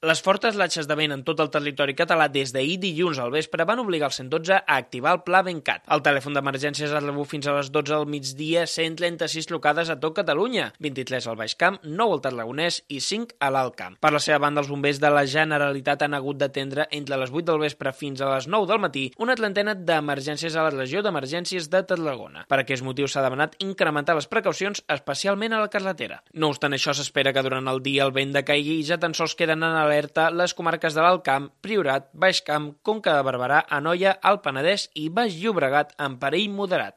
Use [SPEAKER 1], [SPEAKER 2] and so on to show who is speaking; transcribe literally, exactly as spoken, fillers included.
[SPEAKER 1] Les fortes latxes de vent en tot el territori català des d'ahir dilluns al vespre van obligar el cent dotze a activar el pla Ventcat. El telèfon d'emergències es rebut fins a les dotze del migdia cent trenta-sis trucades a tot Catalunya, vint-i-tres al Baix Camp, nou al Tarragonès i cinc a l'Alt Camp. Per la seva banda, els bombers de la Generalitat han hagut d'atendre entre les vuit del vespre fins a les nou del matí una trentena d'emergències a la regió d'emergències de Tarragona. Per aquest motiu s'ha demanat incrementar les precaucions, especialment a la carretera. No obstant això, s'espera que durant el dia el vent decaigui i ja tan sols queden en alerta les comarques de l'Alt Camp, Priorat, Baix Camp, Conca de Barberà, Anoia, Alt Penedès i Baix Llobregat en perill moderat.